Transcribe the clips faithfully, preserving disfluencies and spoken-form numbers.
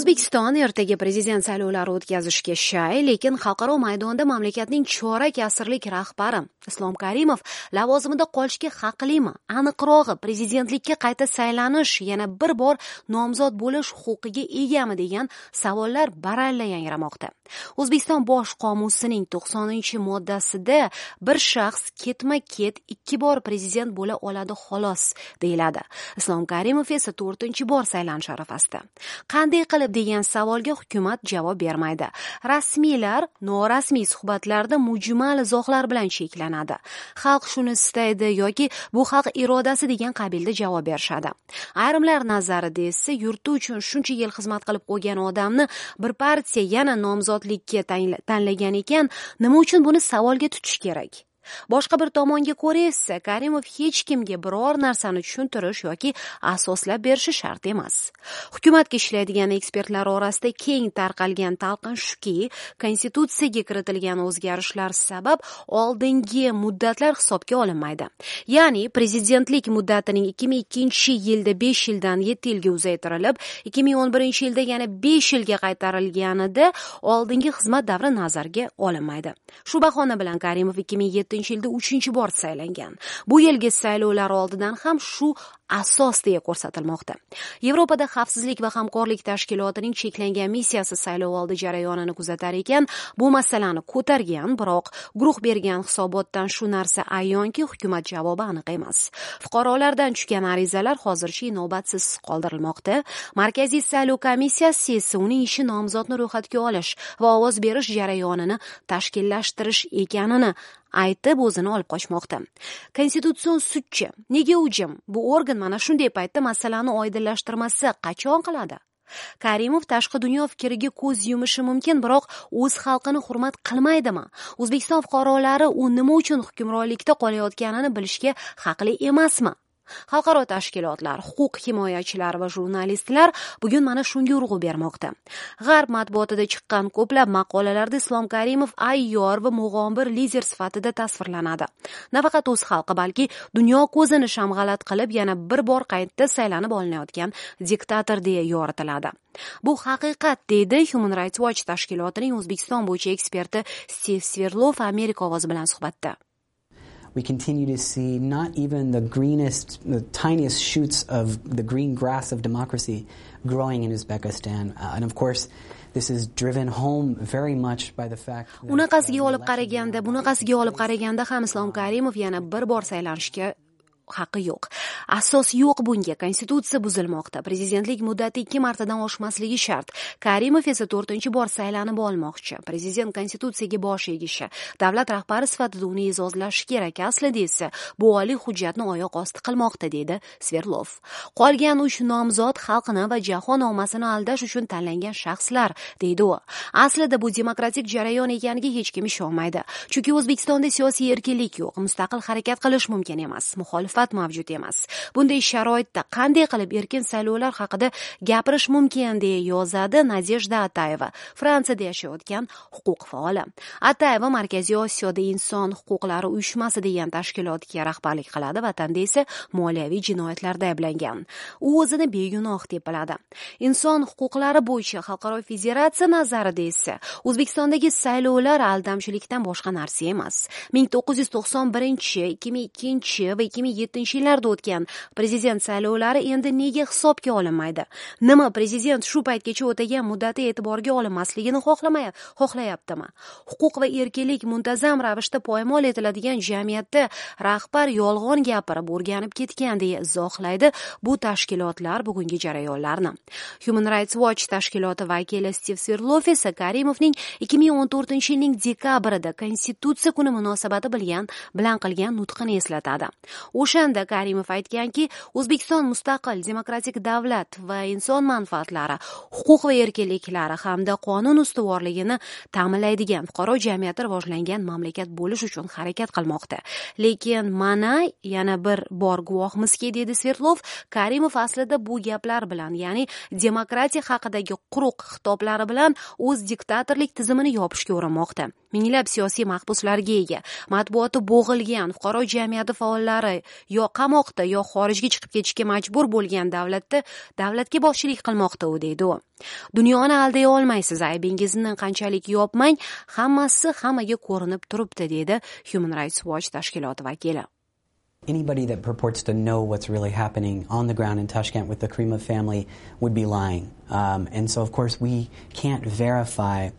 O'zbekiston ertaga prezident saylovlari o'tkazishga shay, lekin xalqaro maydonda mamlakatning chorak asrlik rahbari Islom Karimov lavozimida qolishga haqlimi? Aniqrog'i, prezidentlikka qayta saylanish, yana bir bor nomzod bo'lish huquqiga egami degan savollar baralla yangramoqda. O'zbekiston bosh qomusining to'qsoninchi moddasida bir shaxs ketma-ket ikki bor prezident bo'la oladi xolos deyiladi. Islom Karimov esa to'rtinchi bor saylanish arafasida. Qanday qilib degan savolga hukumat javob bermaydi. Rasmiylar norasmiy suhbatlarda mujmal izohlar bilan cheklanadi. Xalq shuni istaydi yoki bu xalq irodasi degan qabilda javob berishadi. Ayrimlar nazarida esa yurti uchun shuncha yil xizmat qilib qo'ygan odamni bir partiya yana nomzodlikka tanlagan ekan, nima uchun buni savolga tutish kerak? Boshqa bir tomonga ko'ra esa Karimov hech kimga biror narsani tushuntirish yoki asoslab berishi shart emas. Hukumatga ishlaydigan ekspertlar orasida keng tarqalgan talqin shuki, konstitutsiyaga kiritilgan o'zgarishlar sabab oldingi muddatlar hisobga olinmaydi. Ya'ni prezidentlik muddatining ikki ming ikkinchi yilda besh yildan yetti yilga uzaytirilib, ikki ming o'n birinchi yilda yana besh yilga qaytarilganida oldingi xizmat davri nazarga olinmaydi. Shu bahona bilan Karimov ikki ming yettinchi yilda uchinchi bor saylangan. Bu yilgi saylovlar oldidan ham shu asos deya ko'rsatilmoqda. Yevropada Xavfsizlik va hamkorlik tashkilotining cheklangan missiyasi saylovoldi jarayonini kuzatar ekan, bu masalani ko'targan, biroq guruh bergan hisobotdan shu narsa ayonki, hukumat javobi aniq emas. Fuqarolardan tushgan arizalar hozircha inobatsiz qoldirilmoqda. Markaziy saylov komissiyasi esa uning ishi nomzodni ro'yxatga olish va ovoz berish jarayonini tashkillashtirish ekanini aytib o'zini olib qochmoqda. Konstitutsion sudchi nega u jim? Bu organ mana shunday paytda masalani oydinlashtirmasa qachon qiladi? Karimov tashqi dunyo fikriga ko'z yumishi mumkin, biroq o'z xalqini hurmat qilmaydimi? O'zbekiston fuqarolari u nima uchun hukmronlikda qolayotganini bilishga haqli emasmi? Xalqaro tashkilotlar, huquq himoyachilari va jurnalistlar bugun mana shunga urg'u bermoqda. G'arb matbuotida chiqqan ko'plab maqolalarda Islom Karimov ayyor va mug'ombir lider sifatida tasvirlanadi. Nafaqat o'z xalqi, balki dunyo ko'zini shamg'alat qilib, yana bir bor qayta saylanib olinayotgan diktator deya yoritiladi. Bu haqiqat, deydi Human Rights Watch tashkilotining O'zbekiston bo'yicha eksperti Stiv Sverdlov Amerika ovozi bilan suhbatda. We continue to see not even the greenest, the tiniest shoots of the green grass of democracy growing in Uzbekistan. Uh, and of course, this is driven home very much by the fact that Unaqasiga olib qaraganda, bunaqasiga olib qaraganda ham Islom Karimov yana bir bor saylanishga haqqi yo'q. Asos yo'q bunga. Konstitutsiya buzilmoqda. Prezidentlik muddati ikki martadan oshmasligi shart. Karimov esa to'rtinchi bor saylanib olmoqchi. Prezident konstitutsiyaga bosh egishi, davlat rahbari sifatida uni e'zozlashi kerak. Aslida esa bu oliy hujjatni oyoq osti qilmoqda, dedi Sverdlov. Qolgan uch nomzod xalqni va jahon ommasini aldash uchun tanlangan shaxslar, deydi u. Aslida bu demokratik jarayon ekaniga hech kim ishonmaydi. Chunki O'zbekistonda siyosiy erkinlik yo'q, mustaqil harakat qilish mumkin emas. Muxolifat mavjud emas. Bunday sharoitda qanday qilib erkin saylovlar haqida gapirish mumkin, deya yozadi Nadejda Atayeva, Fransiyada yashayotgan huquq faoli. Atayeva Markaziy Osiyoda inson huquqlari uyushmasi degan tashkilotga rahbarlik qiladi, vatanda esa moliyaviy jinoyatlarda ayblangan. U o'zini begunoh deb biladi. Inson huquqlari bo'yicha xalqaro federatsiya nazarida esa O'zbekistondagi saylovlar aldamchilikdan boshqa narsa emas. ming to'qqiz yuz to'qson birinchi, ikki ming ikkinchi va ikki ming yettinchi yillarda o'tgan prezident saylovlari endi nega hisobga olinmaydi? Nima, prezident shu paytgacha o'tagan muddati e'tiborga olinmasligini xohlamay, xohlayaptimi? Huquq va erkinlik muntazam ravishda poymol etiladigan jamiyatda rahbar yolg'on gapirib o'rganib ketgan, deya izohlaydi bu tashkilotlar bugungi jarayonlarni. Human Rights Watch tashkiloti vakili Stiv Sverdlov esa Karimovning ikki ming o'n to'rtinchi yilning dekabrida Konstitutsiya kuni munosabati bilan bilan qilgan nutqini eslatadi. O'shanda Karimov aytganki, O'zbekiston mustaqil demokratik davlat va inson manfaatlari, huquq va erkinliklari hamda qonun ustuvorligini ta'minlaydigan fuqaro jamiyati rivojlangan mamlakat bo'lish uchun harakat qilmoqda. Lekin mana yana bir bor guvohmizki, dedi Sverdlov, Karimov aslida bu gaplar bilan, ya'ni demokratiya haqidagi quruq xitoblari bilan o'z diktatorlik tizimini yopishga urinmoqda. Minglab siyosiy mahbuslarga ega, matbuoti bo'g'ilgan, fuqaro jamiyati faollari yo qamoqda, yo xorijga chiqib ketishga majbur bo'lgan davlatda davlatga boshchilik qilmoqda u, deydi u. Dunyoni alday olmaysiz, aybingizni qanchalik yopmang, hammasi hammaga ko'rinib turibdi, deydi Human Rights Watch tashkiloti vakili. Anybody that purports to know what's really happening on the ground in Tashkent with the Karimov family would be lying. Um, and so, of course, we can't verify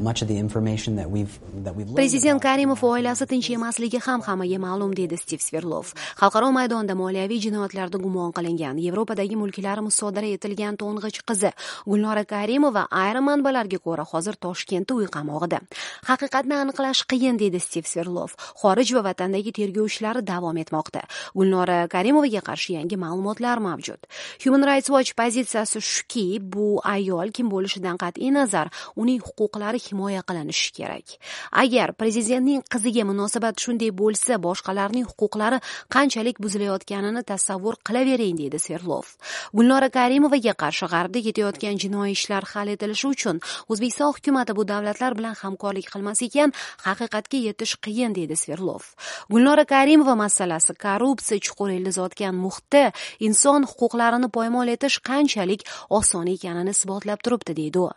much of the information that we've that we've Prezident Karimov oilasi tinch emasligi ham hammaga ma'lum, deydi Stiv Sverdlov. Xalqaro maydonda moliyaviy jinoyatlarda gumon qilingan, Yevropadagi mulklari musodara etilgan to'ng'ich qizi Gulnora Karimova ayrim manbalarga ko'ra hozir Toshkentda uy qamog'ida. Haqiqatni aniqlash qiyin, deydi Stiv Sverdlov. Xorij va vatandagi tergov ishlari davom etmoqda. Gulnora Karimovaga qarshi yangi ma'lumotlar mavjud. Human Rights Watch pozitsiyasi shuki, bu ayol kim bo'lishidan qat'iy nazar, uning huquqlari himoya qilinishi kerak. Agar prezidentning qiziga munosabat shunday bo'lsa, boshqalarning huquqlari qanchalik buzilayotganini tasavvur qilavering, deydi Sverdlov. Gulnora Karimovaga qarshi g'arbda ketayotgan jinoiy ishlar hal etilishi uchun O'zbekiston hukumati bu davlatlar bilan hamkorlik qilmas ekan, haqiqatga yetish qiyin, deydi Sverdlov. Gulnora Karimova masalasi korrupsiya chuqur ildiz otgan muhitda inson huquqlarini poymol etish qanchalik oson ekanini isbotlab turibdi, deydi u.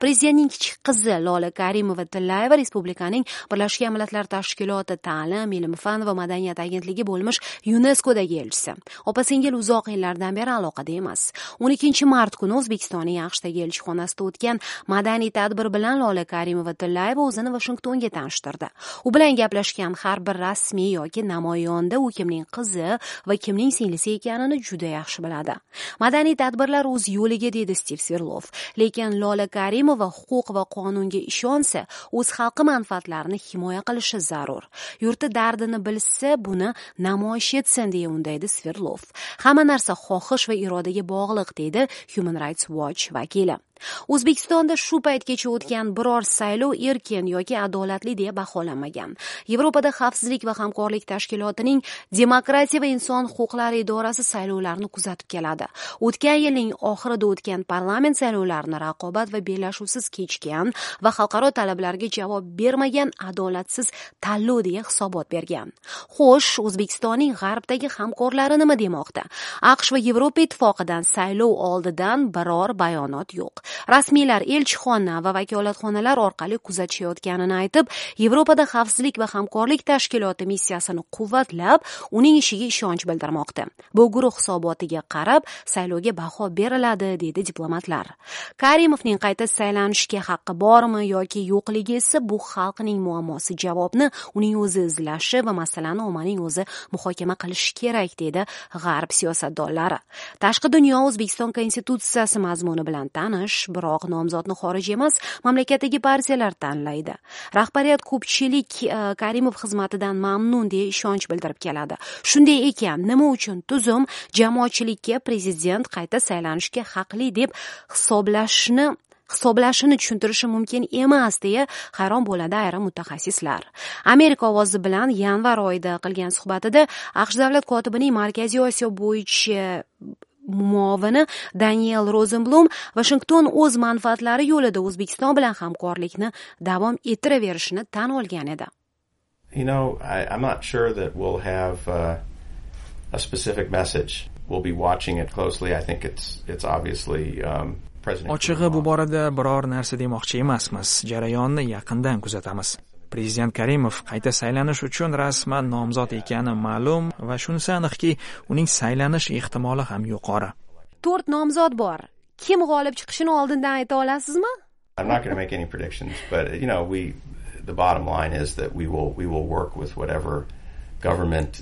Prezidentning kichik qizi Lola Karimova Tillayeva Respublikaning Birlashgan Millatlar Tashkiloti Ta'lim, ilm, fan va madaniyat agentligi bo'lmish YUNESKOdagi elchisi. Opa-singil uzoq yillardan beri aloqada emas. o'n ikkinchi mart kuni O'zbekistonning AQShdagi elchixonasida o'tgan madaniy tadbir bilan Lola Karimova Tillayeva o'zini Vashingtonga tanishtirdi. U bilan gaplashgan har bir rasmiy yoki namoyonda u kimning qizi va kimning singlisi ekanini juda yaxshi biladi. Madaniy tadbirlar o'z yo'liga, deydi Stiv Sverdlov. Lekin Lola Karimova huquq va qonunga ishonsa, o'z xalqi manfaatlarini himoya qilishi zarur. Yurti dardini bilsa, buni namoyish etsin, deya undaydi Sverdlov. Hamma narsa xohish va irodaga bog'liq, deydi Human Rights Watch vakili. O'zbekistonda shu paytgacha o'tgan biror saylov erkin yoki adolatli deya baholanmagan. Yevropada Xavfsizlik va hamkorlik tashkilotining Demokratiya va inson huquqlari idorasi saylovlarni kuzatib keladi. O'tgan yilning oxirida o'tgan parlament saylovlarini raqobat va bellashuvsiz kechgan va xalqaro talablarga javob bermagan adolatsiz tanlov deya hisobot bergan. Xo'sh, O'zbekistonning g'arbdagi hamkorlari nima demoqda? AQSh va Yevropa ittifoqidan saylov oldidan biror bayonot yo'q. Rasmiylar elchixona va vakolatxonalar orqali kuzatishayotganini aytib, Yevropada Xavfsizlik va hamkorlik tashkiloti missiyasini quvvatlab, uning ishiga ishonch bildirmoqda. Bu guruh hisobotiga qarab saylovga baho beriladi, dedi diplomatlar. Karimovning qayta saylanishga haqqi bormi yoki yo'qligi esa bu xalqning muammosi. Javobni uning o'zi izlashi va masalani ommaning o'zi muhokama qilishi kerak, dedi g'arb siyosatdonlari. Tashqi dunyo O'zbekiston Konstitutsiyasi mazmuni bilan tanish, biroq nomzodni xorij emas, mamlakatdagi partiyalar tanlaydi. Rahbariyat ko'pchilik Karimov xizmatidan mamnun deya ishonch bildirib keladi. Shunday ekan, nima uchun tuzum jamoatchilikka prezident qayta saylanishga haqli deb hisoblashni hisoblashini tushuntirishi mumkin emas deya hayron bo'ladi ayrim mutaxassislar. Amerika ovozi bilan yanvar oyida qilgan suhbatida AQSh davlat kotibining Markaziy Osiyo bo'yicha muovini Daniel Rozenblum Vashington o'z manfaatlari yo'lida O'zbekiston bilan hamkorlikni davom ettiraverishini tan olgan edi. You know, I, I'm not sure that we'll have uh, a specific message. We'll be watching it closely. I think it's it's obviously um, President Ochig'i bu borada biror narsa demoqchi emasmiz. Jarayonni yaqindan kuzatamiz. Prezident Karimov qayta saylanish uchun rasman nomzod ekani ma'lum va shunisi aniqki, uning saylanish ehtimoli ham yuqori. To'rt nomzod bor. Kim g'olib chiqishini oldindan ayta olasizmi? I'm not going to make any predictions, but you know, we the bottom line is that we will we will work with whatever government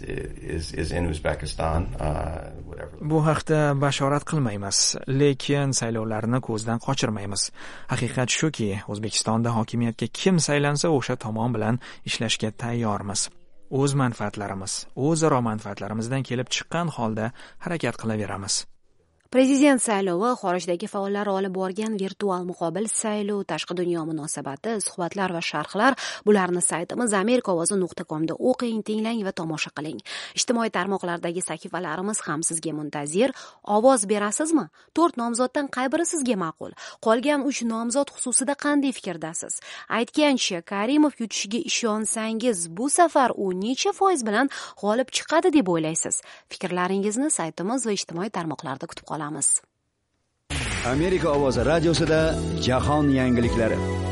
is is in Uzbekistan, uh, whatever. Bu haqda bashorat qilmaymiz, lekin saylovlarni ko'zdan qochirmaymiz. Haqiqat shuki, O'zbekistonda hokimiyatga kim saylansa, o'sha tomon bilan ishlashga tayyormiz. O'z manfaatlarimiz, o'zaro manfaatlarimizdan kelib chiqqan holda harakat qilaveramiz. Prezident saylovi, xorijdagi faollar olib borgan virtual muqobil saylov, tashqi dunyo munosabati, suhbatlar va sharhlar, bularni saytimiz amerika ovozi nuqta komda o'qing, tinglang va tomosha qiling. Ijtimoiy tarmoqlardagi sahifalarimiz ham sizga muntazir. Ovoz berasizmi? To'rt nomzoddan qay biri sizga ma'qul? Qolgan uch nomzod xususida qanday fikrdasiz? Aytgancha, Karimov yutishiga ishonsangiz, bu safar u necha foiz bilan g'olib chiqadi deb o'ylaysiz? Fikrlaringizni saytimiz va ijtimoiy tarmoqlarda kutib qolamiz. Amerika ovozi radiosida jahon yangiliklari.